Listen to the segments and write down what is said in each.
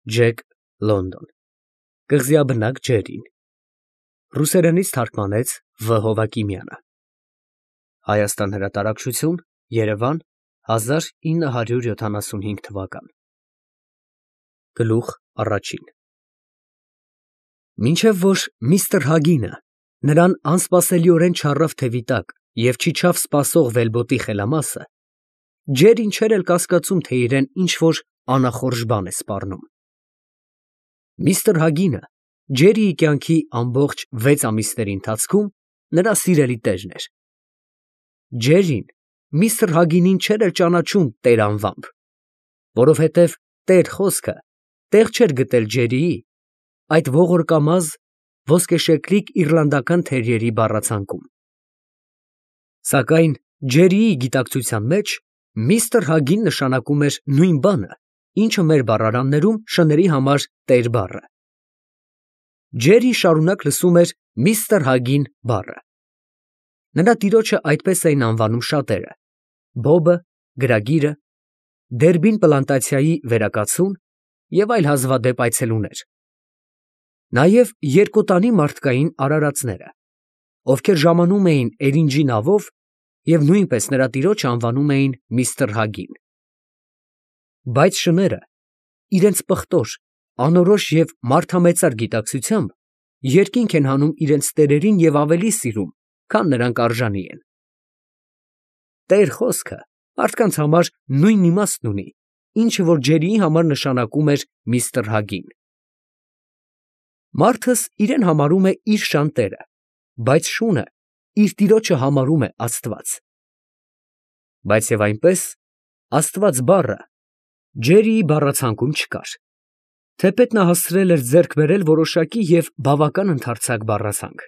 Ջեք Լոնդոն Կղզիաբնակ Ջերին Ռուսերենից թարգմանեց Վ. Հովակիմյանը Հայաստան հրատարակչություն Երևան 1975 թվական Գլուխ առաջին Մինչև որ միստր Հագինը նրան անսպասելիորեն չառավ թևի տակ և չիջավ սպասող վելբոտի խելամասը, Ջերին չէր էլ կասկածում, թե իրեն ինչ-որ անախորժ բան է սպառնում։ Միստր Հագինը Ջերիի կյանքի ամբողջ 6 ամիսների ընթացքում նրա սիրելի տերն էր։ Ջերին միստր Հագինին չէր էլ ճանաչում տեր անվամբ, որովհետև տեր խոսքը տեղ չէր գտել Ջերիի այդ ողորկամազ ոսկեշեկլիկ իռլանդական թերիերի բառացանկում։ Սակայն Ջերիի գիտակցության մեջ միստր Հագին նշանակում էր նույն բանը, ինչը մեր բառարաններում շների համար տեր բառը։ Ջերին շարունակ լսում էր միստր Հագին բառը։ Նրա տիրոջը այդպես էին անվանում շատերը. Բոբը, գրագիրը, Դերբին պլանտացիայի վերակացուն և այլ հազվադեպ այցելուներ։ Նաև երկոտանի մարդկային արարածները, ովքեր ժամանում էին Էրինջի նավով և նույնպես նրա տիրոջը անվանում էին միստր Հագին։ Բայց շները իրենց պղտոր, անորոշ և մարդամեծար գիտակցությամբ երկինք են հանում իրենց տերերին և ավելի սիրում, քան նրանք արժանի են։ Տեր խոսքը մարդկանց համար նույն իմաստն ունի, ինչը որ Ջերիի համար նշանակում էր միստր Հագին։ Մարդս իրեն համարում է իր շան տերը, բայց շունը իր տիրոջը համարում է Աստված։ Բայց և այնպես Աստված բառը Ջերիի բառացանկում չկար, թեպետ նա հասցրել էր ձեռք բերել որոշակի և բավական ընդարձակ բառացանք։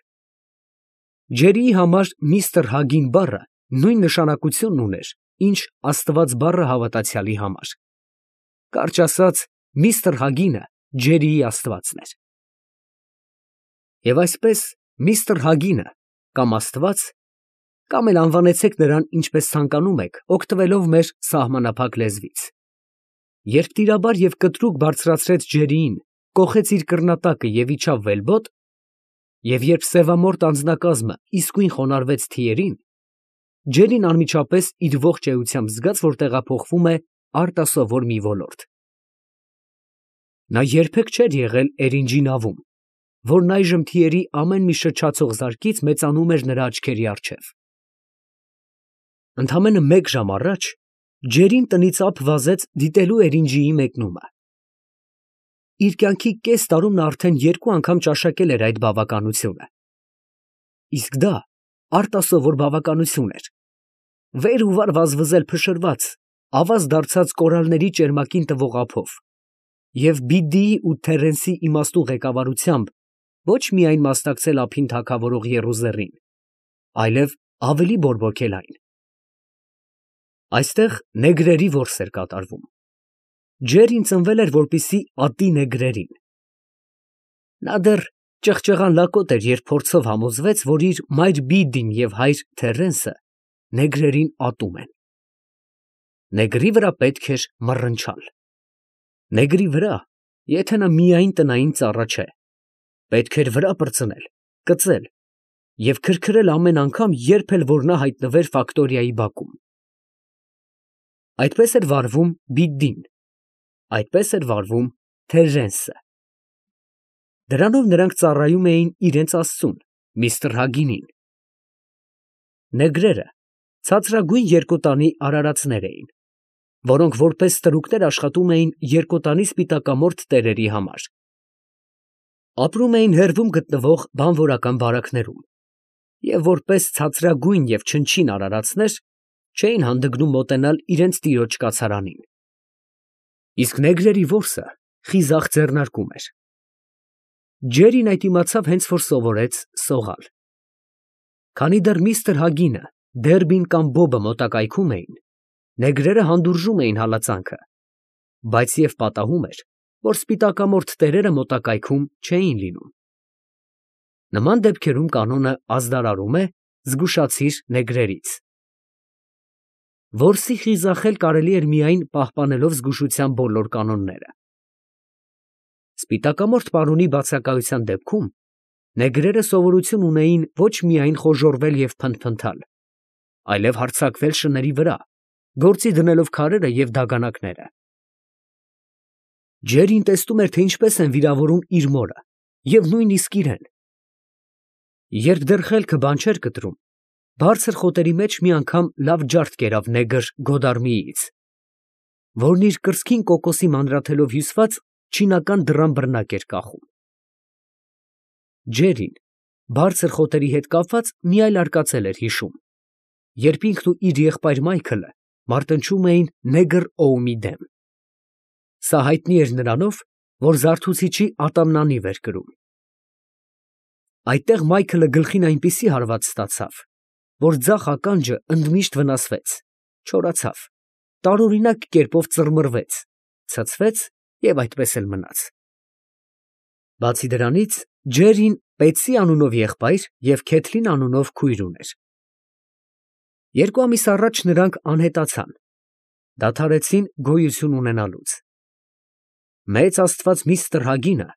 Ջերիի համար միստր Հագին բառը նույն նշանակությունն ուներ, ինչ Աստված բառը հավատացյալի համար։ Կարճ ասած, միստր Հագինը Ջերիի Աստվածն էր։ Եվ այսպես միստր Հագինը կամ Աստված, կամ էլ անվանեցեք նրան ինչպես ցանկանում եք, օգտվելով մեր սահմանափակ լեզվից, երբ տիրաբար և կտրուկ բարձրացրեց Ջերիին, կոխեց իր կռնատակը և իջավ վելբոտ, և երբ սևամորթ անձնակազմը իսկույն խոնարհվեց թիերին, Ջերին անմիջապես իր ողջ էությամբ զգաց, որ տեղափոխվում է արտասովոր մի ոլորտ։ Նա երբեք չէր եղել Էրինջի նավում, որն այժմ թիերի ամեն մի շչացող զարկից մեծանում էր նրա աչքերի առջև։ Ընդամենը մեկ ժամ առաջ Ջերին տնից ափ վազեց դիտելու Էրինջիի մեկնումը։ Իր կյանքի կես տարում նա արդեն 2 անգամ ճաշակել էր այդ բավականությունը։ Իսկ դա արտասովոր բավականություն էր։ Վեր ու վար վազվզել փշրված, ավազ դարձած կորալների ճերմակին տվող ափով և Բիդդիի ու Թերենսի իմաստուն ղեկավարությամբ ոչ միայն մասնակցել ափին թագավորող եռուզեռին, այլև ավելի բորբոքել այն։ Այստեղ նեգրերի որս էր կատարվում։ Ջերին ծնվել էր, որպեսզի ատի նեգրերին։ Նա դեռ ճղճղան լակոտ էր, երբ փորձով համոզվեց, որ իր մայր Բիդդին և հայր Թերենսը նեգրերին ատում են։ Նեգրի վրա պետք էր մռնչալ։ Նեգրի վրա, եթե նա միայն տնային ծառա չէ, պետք էր վրա պրծնել, կծել և քրքրել ամեն անգամ, երբ էլ որ նա հայտնվեր ֆակտորիայի բակում։ Այդպես էր վարվում Բիդդին, այդպես էր վարվում Թերենսը։ Դրանով նրանք ծառայում էին իրենց աստծուն, միստր Հագինին։ Նեգրերը ցածրագույն երկոտանի արարածներ էին, որոնք որպես ստրուկներ աշխատում էին երկոտանի սպիտակամորթ տերերի համար։ Ապրում էին հեռվում գտնվող բանվորական բարակներում և որպես ցածրագույն և չնչին արարածներ չէին հանդգնում մոտենալ իրենց տիրոջ կացարանին։ Իսկ նեգրերի որսը խիզախ ձեռնարկում էր։ Ջերին այդ իմացավ հենց որ սովորեց սողալ։ Քանի դեռ միստր Հագինը, Դերբին կամ Բոբը մոտակայքում էին, նեգրերը հանդուրժում էին հալածանքը, բայց և պատահում էր, որ սպիտակամորթ տերերը մոտակայքում չէին լինում։ Նման դեպքերում կանոնը ազդարարում է զգուշացիր նեգրերից։ Որսի խիզախել կարելի էր միայն պահպանելով զգուշության բոլոր կանոնները։ Սպիտակամորթ պարոնի բացակայության դեպքում նեգրերը սովորություն ունեին ոչ միայն խոժոռվել և փնթփնթալ, այլև հարձակվել շների վրա, գործի դնելով քարերը և դագանակները։ Ջերին տեսնում էր, թե ինչպես են վիրավորում իր մորը և նույնիսկ իրեն։ Երբ դեռ խելքը բան չէր կտրում, բարձր խոտերի մեջ մի անգամ լավ ջարդ կերավ նեգր Գոդարմիից, որն իր կրծքին կոկոսի մանրաթելով հյուսված չինական դռան բռնակ էր կախում։ Ջերին բարձր խոտերի հետ կապված մի այլ արկածել էր հիշում, երբ ինքն ու իր եղբայր Մայքլը մարտնչում էին նեգր Օուի դեմ։ Սա հայտնի էր նրանով, որ զարթուցիչի ատամնանիվ էր կրում։ Այդտեղ Մայքլը գլխին այնպիսի հարված ստացավ, որ ձախ ականջը ընդմիշտ վնասվեց, չորացավ, տարօրինակ կերպով ծռմռվեց, ցցվեց և այդպես էլ մնաց։ Բացի դրանից, Ջերին Պետսի անունով եղբայր և Քեթլին անունով քույր ուներ։ 2 ամիս առաջ նրանք անհետացան, դադարեցին գոյություն ունենալուց։ Մեծ աստված միստր Հագինը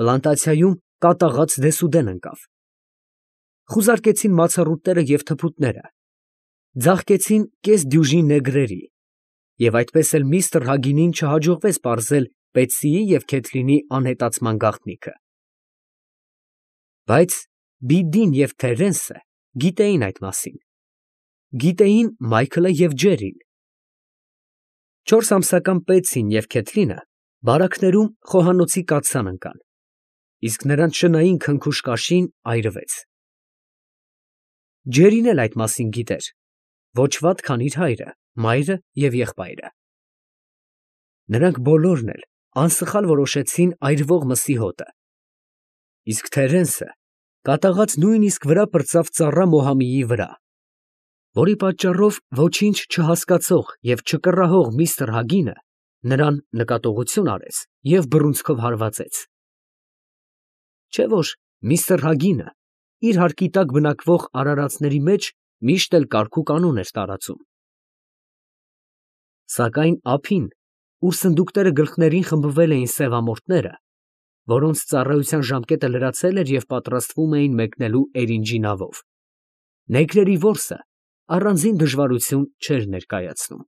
պլանտացիայում կատաղած դեսուդեն ընկավ։ Խուզարկեցին մացառուտները և թփուտները, ձաղկեցին կես դյուժին նեգրերի, և այդպես էլ միստր Հագինին չհաջողվեց պարզել Պետսիի և Քեթլինի անհետացման գաղտնիքը։ Բայց Բիդդին և Թերենսը գիտեին այդ մասին, գիտեին Մայքլը և Ջերին։ 4 ամսական Պետսին և Քեթլինը բարակներում խոհանոցի կաթսան ընկան, իսկ նրանց շնային քնքուշ կաշին այրվեց։ Ջերին էլ այդ մասին գիտեր, ոչ վատ, քան իր հայրը, մայրը և եղբայրը։ Նրանք բոլորն էլ անսխալ որոշեցին այրվող մսի հոտը, իսկ Թերենսը կատաղած նույնիսկ վրա պրծավ ծառա Մոհամիի վրա, որի պատճառով ոչինչ չհասկացող և չկռահող միստր Հագինը նրան նկատողություն արեց և բռունցքով հարվածեց։ Չէ՞ որ միստր Հագինը իր հարկի տակ բնակվող արարածների մեջ միշտ էլ կարգ ու կանոն էր տարածում։ Սակայն ափին, ուր սնդուկները գլխներին խմբվել էին սևամորթները, որոնց ծառայության ժամկետը լրացել էր և պատրաստվում էին մեկնելու Էրինջի նավով, նեգրերի որսը առանձին դժվարություն չէր ներկայացնում։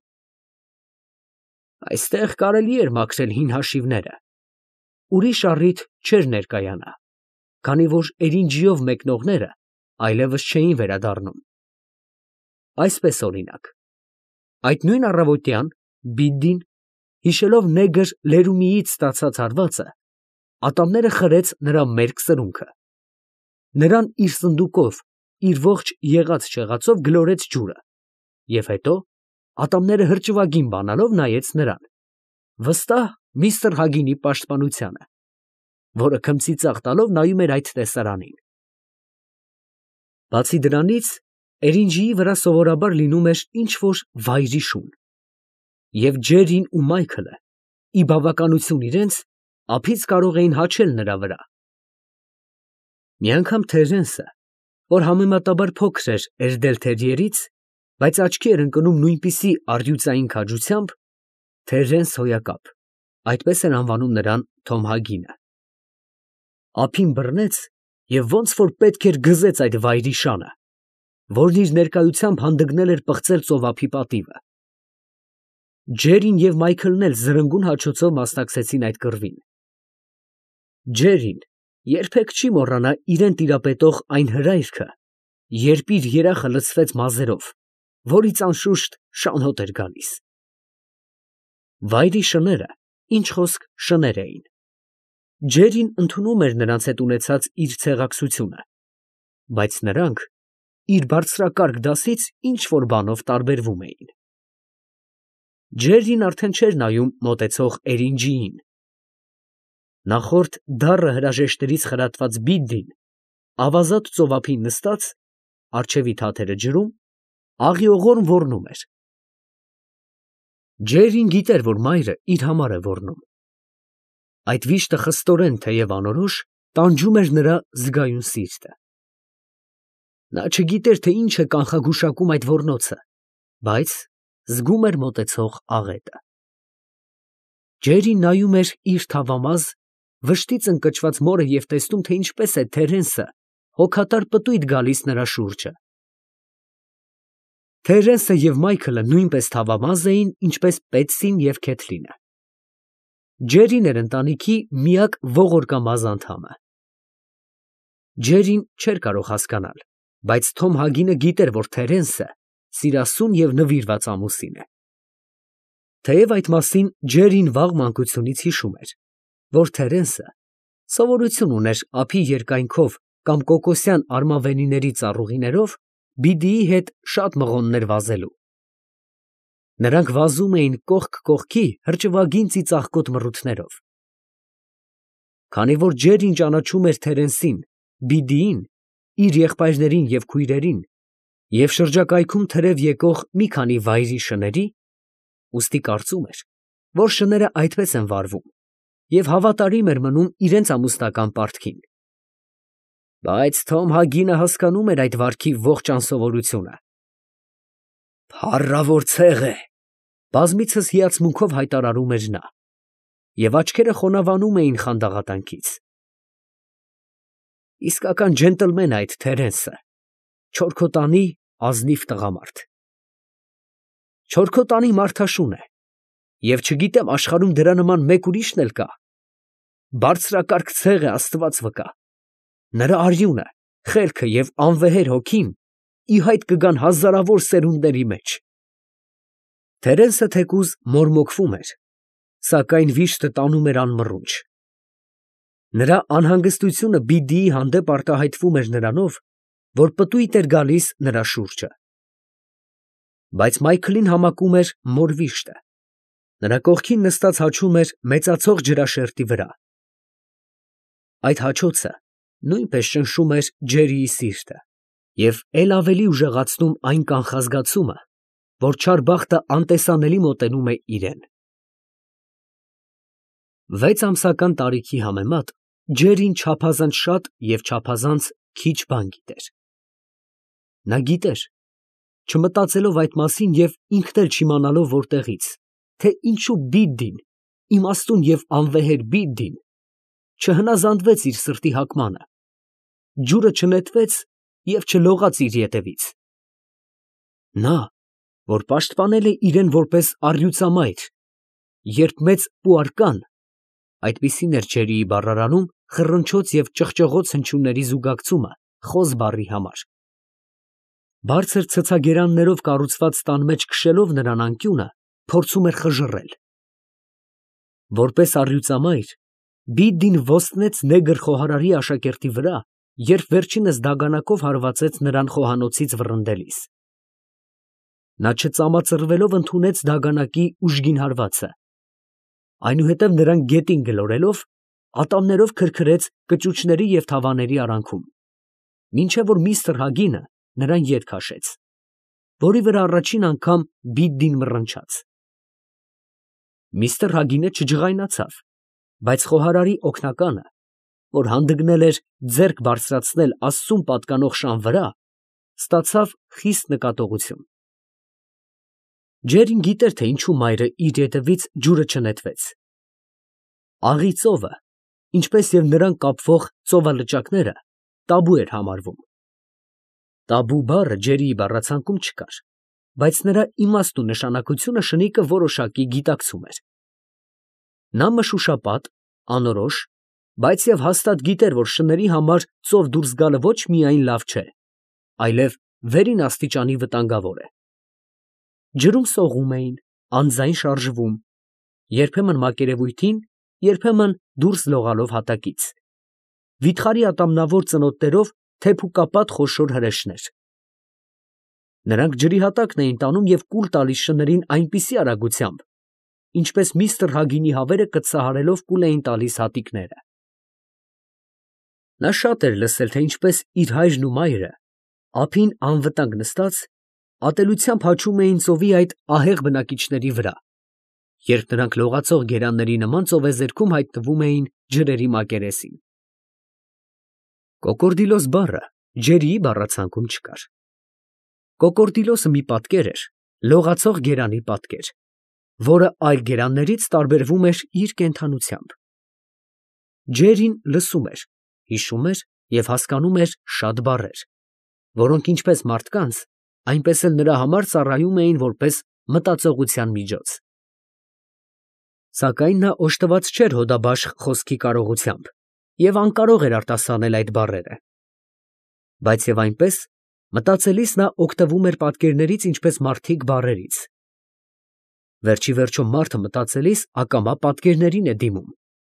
Այստեղ կարելի էր մաքրել հին հաշիվները, ուրիշ առիթ չէր ներկայանա, քանի որ Էրինջիով մեկնողները այլևս չէին վերադառնում։ Այսպես օրինակ, այդ նույն առավոտյան Բիդդին, հիշելով նեգր Լերումիից ստացած հարվածը, ատամները խրեց նրա մերկ սրունքը, նրան իր սնդուկով, իր ողջ եղած-չեղածով գլորեց ջուրը և հետո, ատամները հրճվագին բանալով, նայեց նրան, վստահ միստր Հագինի պաշտպանությանը, որը քմծիծաղ տալով նայում էր այդ տեսարանին։ Բացի դրանից, Էրինջիի վրա սովորաբար լինում էր ինչ֊որ վայրի շուն, և Ջերին ու Մայքլը, ի բավականություն իրենց, ափից կարող էին հաչել նրա վրա։ Մի անգամ Թերենսը, որ համեմատաբար փոքր էր Էրդել֊թերիերից, բայց աչքի էր ընկնում նույնպիսի առյուծային քաջությամբ, Թերենս Հոյակապ, այդպես էր անվանում նրան Թոմ Հագինը, ափին բռնեց և ոնց որ պետք էր գզեց այդ վայրի շանը, որն իր ներկայությամբ հանդգնել էր պղծել ծովափի պատիվը։ Ջերին և Մայքլն էլ զրնգուն հաչոցով մասնակցեցին այդ կռվին։ Ջերին երբեք չի մոռանա իրան տիրապետող այն հրայրքը, երբ իր երախը լցվեց մազերով, որից անշուշտ շան հոտ էր գալիս։ Վայրի շները, ինչ խոսք, շներ էին։ Ջերին ընդունում էր նրանց հետ ունեցած իր ցեղակցությունը, բայց նրանք իր բարձրակարգ դասից ինչ֊որ բանով տարբերվում էին։ Ջերին արդեն չէր նայում մոտեցող Էրինջիին։ Նախորդ դառը հրաժեշտներից խրատված Բիդդին, ավազատ ծովափին նստած, առջևի թաթերը ջրում, աղիողորմ ոռնում էր։ Ջերին գիտեր, որ մայրը իր համար է ոռնում։ Այդ վիշտը խստորեն, թեև անորոշ, տանջում էր նրա զգայուն սիրտը։ Նա չգիտեր, թե ինչ է կանխագուշակում այդ ոռնոցը, բայց զգում էր մոտեցող աղետը։ Ջերին նայում էր իր թավամազ, վշտից ընկճված մորը և տեսնում, թե ինչպես է Թերենսը հոգատար պտույտ գալիս նրա շուրջը։ Թերենսը և Մայքլը նույնպես թավամազ էին, ինչպես Պետսին և Քեթլինը։ Ջերին էր ընտանիքի միակ ողորկամազ անդամը։ Ջերին չէր կարող հասկանալ, բայց Թոմ Հագինը գիտեր, որ Թերենսը սիրասուն և նվիրված ամուսին է։ Թեև այդ մասին Ջերին վաղ մանկությունից հիշում էր, որ Թերենսը սովորություն ուներ ափի երկայնքով կամ կոկոսյան արմավենիների ծառուղիներով բիդիի հետ շատ մղոններ վազելու։ Նրանք վազում էին կողք կողքի հրճվագին ծիծաղկոտ մռութներով։ Քանի որ Ջերին ճանաչում էր Թերենսին, բիդիին, իր եղբայրներին և քույրերին և շրջակայքում թրև եկող մի քանի վայրի շների, ուստի կարծում էր, որ շները այդպես են վարվում և հավատարիմ էր մնում իրենց ամուսնական պարտքին։ Բայց Թոմ Հագինը հասկանում էր այդ վարքի ողջ անսովորությունը։ «Փառավոր ցեղ է», բազմիցս հիացմունքով հայտարարում էր նա, և աչքերը խոնավանում էին խանդաղատանքից։ Իսկական ջենտլմեն է այդ Թերենսը, չորքոտանի ազնիվ տղամարդ։ Չորքոտանի մարդաշուն է, և չգիտեմ աշխարհում դրա նման մեկ ուրիշն էլ կա։ Բարձրակարգ ցեղ է, Աստված վկա։ Նրա արյունը, խելքը և անվեհեր հոգին ի հայտ կգան հազարավոր սերունդների մեջ։ Թերենսը թեկուզ մորմոքվում էր, սակայն վիշտը տանում էր անմռունչ։ Նրա անհանգստությունը բիդիի հանդեպ արտահայտվում էր նրանով, որ պտույտ էր գալիս նրա շուրջը։ Բայց Մայքլին համակում էր մոր վիշտը։ Նրա կողքին նստած հաչում էր մեծացող ջրաշերտի վրա։ Այդ հաչոցը նույնպես ճնշում էր Ջերիի սիրտը և էլ ավելի ուժեղացնում այն կանխազգացումը, որ չար բախտը անտեսանելի մոտենում է իրան։ 6 ամսական տարիքի համեմատ Ջերին չափազանց շատ և չափազանց քիչ բան գիտեր։ Նա գիտեր, չմտածելով այդ մասին և ինքն էլ չիմանալով որտեղից, թե ինչու բիդդին, իմաստուն և անվեհեր բիդդին, չհնազանդվեց իր սրտի հակմանը, ջուրը չնետվեց և չլողաց իր ետևից։ Նա, որ պաշտպանել է իրեն որպես առյուծամայր, երբ մեծ Պուարկան, այդպիսին էր Ջերիի բառարանում խռնչոց և ճղճղոց հնչյունների զուգակցումը խոզ բառի համար, բարձր ցցագերաններով կառուցված տան մեջ քշելով նրան անկյունը, փորձում էր խժռել։ Որպես առյուծամայր բիդդին ոստնեց նեգր խոհարարի աշակերտի վրա, երբ վերջինս դագանակով հարվածեց նրան խոհանոցից վռնդելիս։ Նա չծամածռվելով ընդունեց դագանակի ուժգին հարվածը, այնուհետև նրան գետին գլորելով, ատամներով քրքրեց կճուճների և թավաների արանքում, մինչև որ միստր Հագինը նրան ետ քաշեց, որի վրա առաջին անգամ բիդդին մռնչաց։ Միստր Հագինը չջղայնացավ, բայց խոհարարի օգնականը, որ հանդգնել էր ձեռք բարձրացնել Աստծուն պատկանող շան վրա, ստացավ խիստ նկատողություն։ Ջերին գիտեր, թե ինչու մայրը իր ետևից ջուրը չնետվեց։ Աղի ծովը, ինչպես և նրան կապվող ծովալճակները, տաբու էր համարվում։ Տաբու բառը Ջերիի բառացանկում չկար, բայց նրա իմաստն ու նշանակությունը շնիկը որոշակի գիտակցում էր։ Նա մշուշապատ, անորոշ, բայց և հաստատ գիտեր, որ շների համար ծով դուրս գալը ոչ միայն լավ չէ, այլև վերին աստիճանի վտանգավոր է։ Ջրում սողում էին, անձայն շարժվում, երբեմն մակերևույթին, երբեմն դուրս լողալով հատակից, վիթխարի ատամնավոր ծնոտներով թեփուկապատ խոշոր հրեշներ։ Նրանք ջրի հատակն էին տանում և կուլ տալիս շներին այնպիսի արագությամբ, ինչպես միստր Հագինի հավերը կծահարելով կուլ էին տալիս հատիկները։ Նա շատ էր լսել, թե ինչպես իր հայրն ու մայրը, ափին անվտանգ նստած, ատելությամբ հաչում էին ծովի այդ ահեղ բնակիչների վրա, երբ նրանք լողացող գերանների նման ծովեզերքում հայտնվում էին ջրերի մակերեսին։ Կոկորդիլոս բառը Ջերիի բառացանկում չկար։ Կոկորդիլոսը մի պատկեր էր, լողացող գերանի պատկեր, որը այլ գերաններից տարբերվում էր իր կենդանությամբ։ Ջերին լսում էր, հիշում էր և հասկանում էր շատ բառեր, որոնք ինչպես մարդկանց, այնպես էլ նրա համար ծառայում էին որպես մտածողության միջոց։ Սակայն նա օժտված չէր հոդաբաշխ խոսքի կարողությամբ և անկարող էր արտասանել այդ բառերը։ Բայց և այնպես, մտածելիս նա օգտվում էր պատկերներից ինչպես մարդիկ բառերից։ Վերջիվերջո մարդը մտածելիս ակամա պատկերներին է դիմում,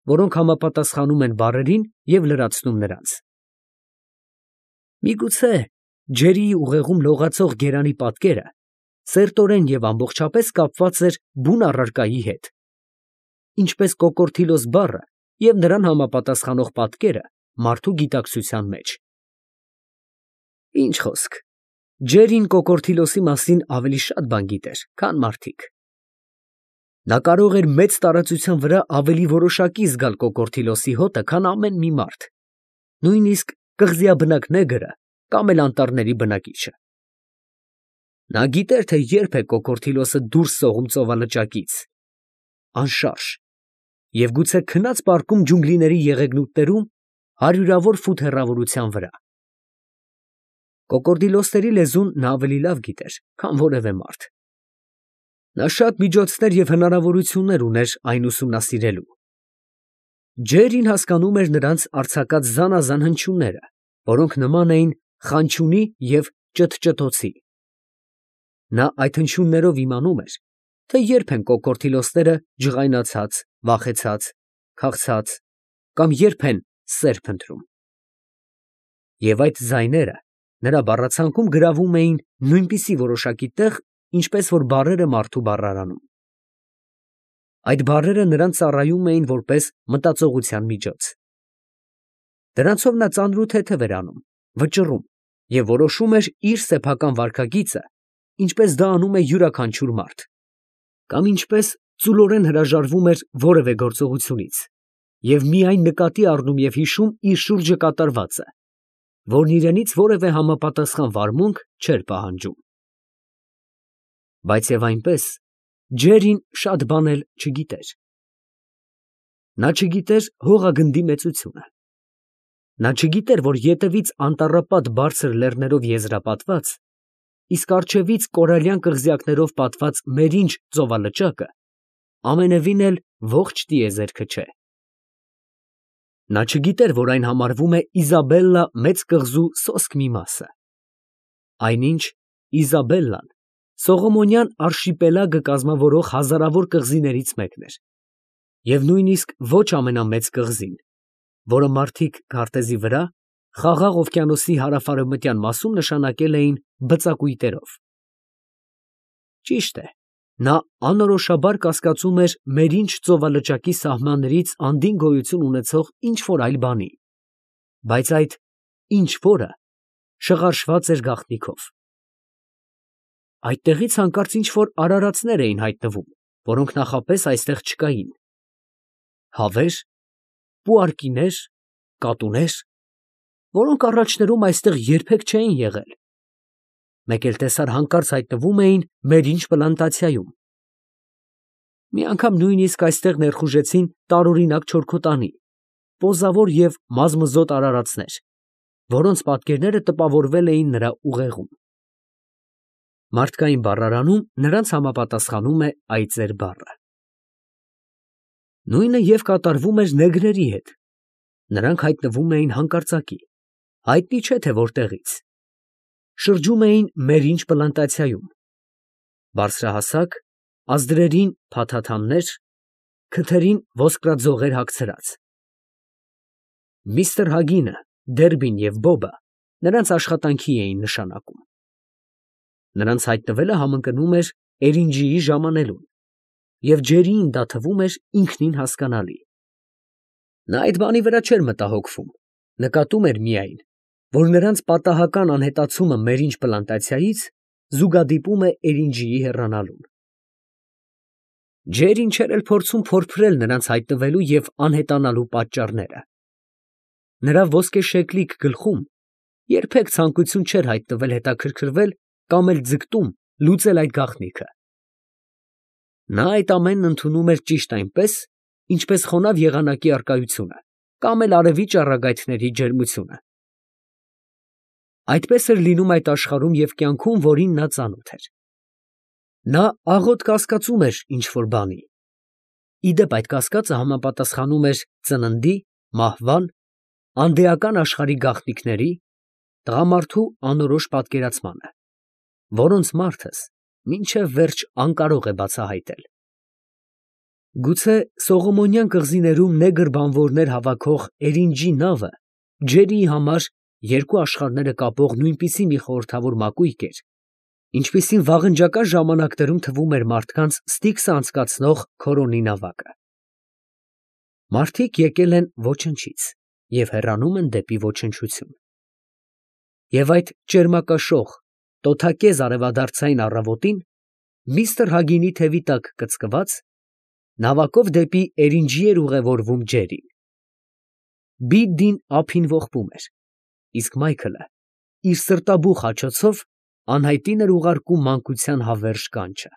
որոնք համապատասխանում են բառերին և լրացնում նրանց։ Միգուցե ջերիի ուղեղում լողացող գերանի պատկերը սերտորեն և ամբողջապես կապված էր բուն առարկայի հետ, ինչպես կոկորդիլոս բառը և նրան համապատասխանող պատկերը մարդու գիտակցության մեջ։ Ինչ խոսք, Ջերին կոկորդիլոսի մասին ավելի շատ բան գիտեր, քան մարդիկ։ Նա կարող էր մեծ տարածության վրա ավելի որոշակի զգալ կոկորդիլոսի հոտը, քան ամեն մի մարդ, նույնիսկ կղզիաբնակ նեգրը կամ էլ անտառների բնակիչը։ Նա գիտեր, թե երբ է կոկորդիլոսը դուրս սողում ծովալճակից, անշարժ, և գուցե քնած պառկում ջունգլիների եղեգնուտներում հարյուրավոր ֆուտ հեռավորության վրա։ Կոկորդիլոսների լեզուն նա ավելի լավ գիտեր, քան որևէ մարդ։ Նա շատ միջոցներ և հնարավորություններ ուներ այն ուսումնասիրելու։ Ջերին հասկանում էր նրանց արձակած զանազան հնչյունները, որոնք նման էին խանչյունի և ճթճթոցի։ Նա այդ հնչյուններով իմանում էր, թե երբ են կոկորդիլոսները ջղայնացած, վախեցած, քաղցած կամ երբ են սեր փնտրում։ Եվ այդ ձայները նրա բառացանկում գրավում էին նույնպիսի որոշակի տեղ, ինչպես որ բառերը մարդու բառարանում։ Այդ բառերը նրան ծառայում էին որպես մտածողության միջոց։ Դրանցով նա ծանրութեթև էր անում, վճռում և որոշում էր իր սեփական վարքագիծը, ինչպես դա անում է յուրաքանչյուր մարդ, կամ ինչպես ծուլորեն հրաժարվում էր որևէ գործողությունից և միայն նկատի առնում և հիշում իր շուրջը կատարվածը, որն իրենից որևէ համապատասխան վարմունք չէր պահանջում։ Բայց և այնպես, Ջերին շատ բան էլ չգիտեր։ Նա չգիտեր հողագնդի մեծությունը։ Նա չգիտեր, որ ետևից անտառապատ բարձր լեռներով եզրապատված, իսկ առջևից կորալյան կղզյակներով պատված Մերինջ ծովալճակը ամենևին էլ ողջ տիեզերքը չէ։ Նա չգիտեր, որ այն համարվում է Իզաբելլա մեծ կղզու սոսկ մի մասը։ Այնինչ Իզաբելլան Սողոմոնյան արշիպելագը կազմավորող հազարավոր կղզիներից մեկն էր, և նույնիսկ ոչ ամենամեծ կղզին, որը մարդիկ քարտեզի վրա Խաղաղ օվկիանոսի հարավ֊արևմտյան մասում նշանակել էին բծակույտերով։ Ճիշտ է, նա անորոշաբար կասկածում էր Մերինջ ծովալճակի սահմաններից անդին գոյություն ունեցող ինչ֊որ այլ բանի, բայց այդ ինչ֊որը շղարշված էր գաղտնիքով։ Այդտեղից հանկարծ ինչ֊որ արարածներ էին հայտնվում, որոնք նախապես այստեղ չկային։ Հավե՞ր, պուարկինե՞ր, կատու՞ներ, որոնք առաջներում այստեղ երբեք չէին եղել։ Մեկ էլ տեսար հանկարծ հայտնվում էին Մերինջ պլանտացիայում։ Մի անգամ նույնիսկ այստեղ ներխուժեցին տարօրինակ չորքոտանի, պոզավոր և մազմզոտ արարածներ, որոնց պատկերները տպավորվել էին նրա ուղեղում։ Մարդկային բառարանում նրանց համապատասխանում է այծեր բառը։ Նույնը և կատարվում էր նեգրերի հետ։ Նրանք հայտնվում էին հանկարծակի, հայտնի չէ թե որտեղից։ Շրջում էին Մերինջ պլանտացիայում, բարձրահասակ, ազդրերին փաթաթաններ, քթերին ոսկրաձողեր հագցրած։ Միսթր Հագինը, Դերբին և Բոբը նրանց աշխատանքի էին նշանակում։ Նրանց հայտնվելը համընկնում էր Էրինջիի ժամանելուն, և Ջերիին դա թվում էր ինքնին հասկանալի։ Նա այդ բանի վրա չէր մտահոգվում, նկատում էր միայն, որ նրանց պատահական անհետացումը Մերինջ պլանտացիայից զուգադիպում է Էրինջիի հեռանալուն։ Ջերին չէր էլ փորձում փորփրել նրանց հայտնվելու և անհետանալու պատճառները։ Նրա ոսկեշեկլիկ գլխում երբեք ցանկություն չէր հայտնվել հետաքրքրվել կամ էլ ձգտում լուծել այդ գաղտնիքը։ Նա այդ ամենն ընդունում էր ճիշտ այնպես, ինչպես խոնավ եղանակի առկայությունը, կամ էլ արևի ճառագայթների ջերմությունը։ Այդպես էր լինում այդ աշխարհում և կյանքում, որին նա ծանոթ էր։ Նա աղոտ կասկածում էր ինչ֊որ բանի։ Ի դեպ, այդ կասկածը համապատասխանում էր ծննդի, մահվան, անդեական աշխարհի գաղտնիքների, տղամարդու անորոշ պատկերացմանը, որոնց մարդս մինչև վերջ անկարող է բացահայտել։ Գուցե Սողոմոնյան կղզիներում նեգր բանվորներ հավաքող Էրինջի նավը Ջերիի համար երկու աշխարհները կապող նույնպիսի մի խորհրդավոր մակույկ էր, ինչպիսին վաղնջական ժամանակներում թվում էր մարդկանց Ստիքսը անցկացնող Քորոնի նավակը։ Մարդիկ եկել են ոչնչից և հեռանում են դեպի ոչնչություն։ Եվ այդ ճերմակաշող, տոթակեզ արևադարձային առավոտին, միստր Հագինի թևի տակ կծկված, նավակով դեպի Էրինջի էր ուղևորվում Ջերին։ Բիդդին ափին ողբում էր, իսկ Մայքլը իր սրտաբուխ աջոցով անհայտին էր ուղարկում մանկության հավերժ կանչը։